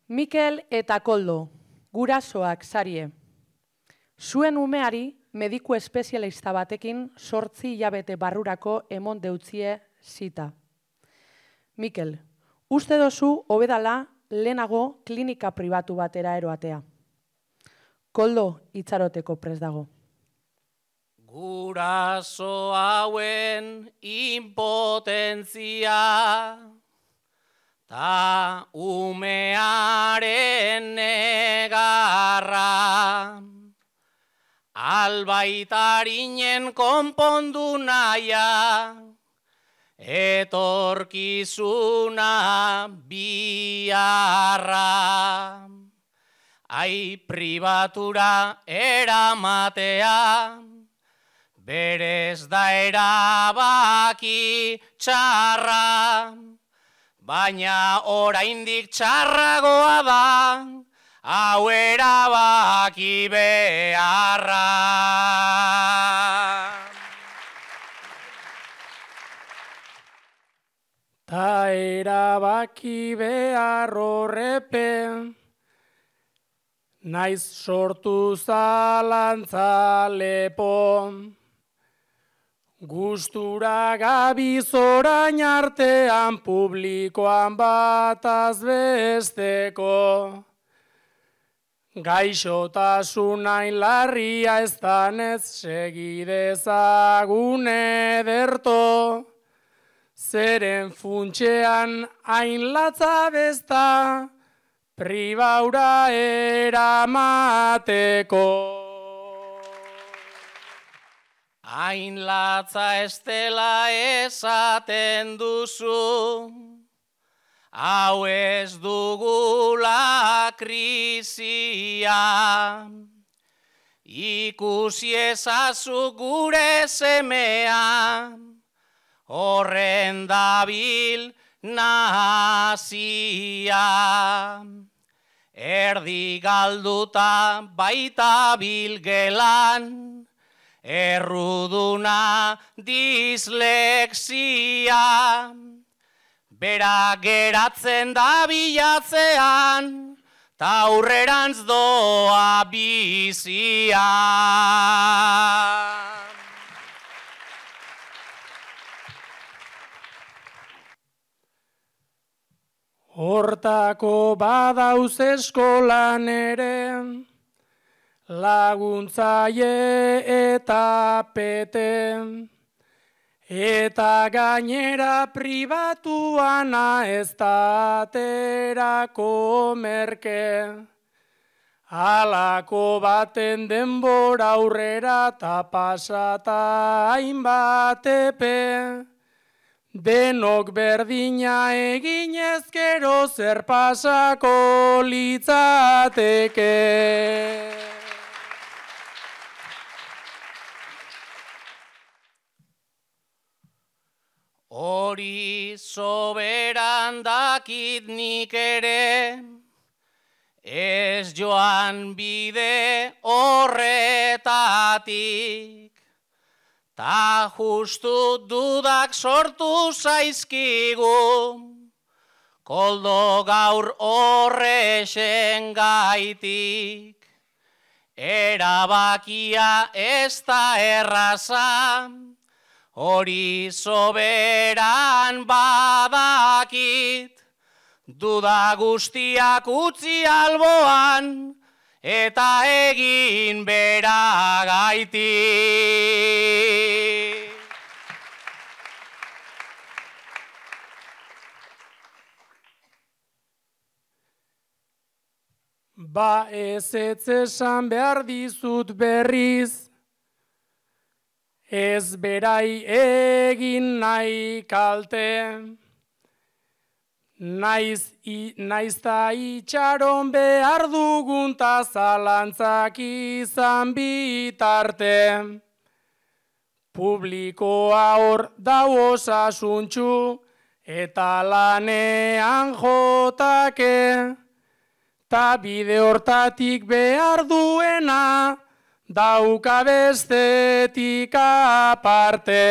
Mikel eta Koldo, gurasoak sarie. Zuen umeari mediku espezialista batekin 8 hilabete barrurako emon deutzie zita. Mikel, uste dozu hobedala lehenago klinika pribatu batera eroatea. Koldo itxaroteko prest dago. Guraso hauen impotentzia ta umearen negarra albaitarinen konpondu naia etorkizuna biharra ai pribatura eramatea berez da erabaki txarra, baina oraindik txarragoa da, hau erabaki beharra. Ta erabaki behar horrepen, naiz sortu zalantza lepo. Gustura gabiz orain artean publikoan bataz besteko. Gaixotasun hain larria ez danez segidezagun ederto. Zeren funtxean hain latza besta pribaura eramateko. Hain latza estela esaten duzu, hau ez dugula krisia. Ikusi ezazu gure semea, horren dabil nazia. Erdi galduta baita bilgelan, erruduna dislexia, bera geratzen da bilatzean, ta aurrerantz doa bizia. Hortako badauz eskolan ere, laguntzaile eta pete, eta gainera pribatuana ez da aterako merke. Halako baten denbora aurrera ta pasata hainbat epe, denok berdina eginez gero zer pasako litzateke. Hori soberan dakit nik ere, ez joan bide horretatik, ta justu dudak sortu zaizkigu, Koldo gaur horrexen gaitik. Erabakia ez da erraza, hori soberan badakit, duda guztiak utzi alboan, eta egin beragaitik. Ba ez esan behar dizut berriz, ez berai egin nahi kalte, naiz ta itxaron behar dugun ta zalantzak izan bitarte. Publikoa hor dau osasuntxu eta lanean jotake, ta bide hortatik behar duena, dauka bestetik aparte.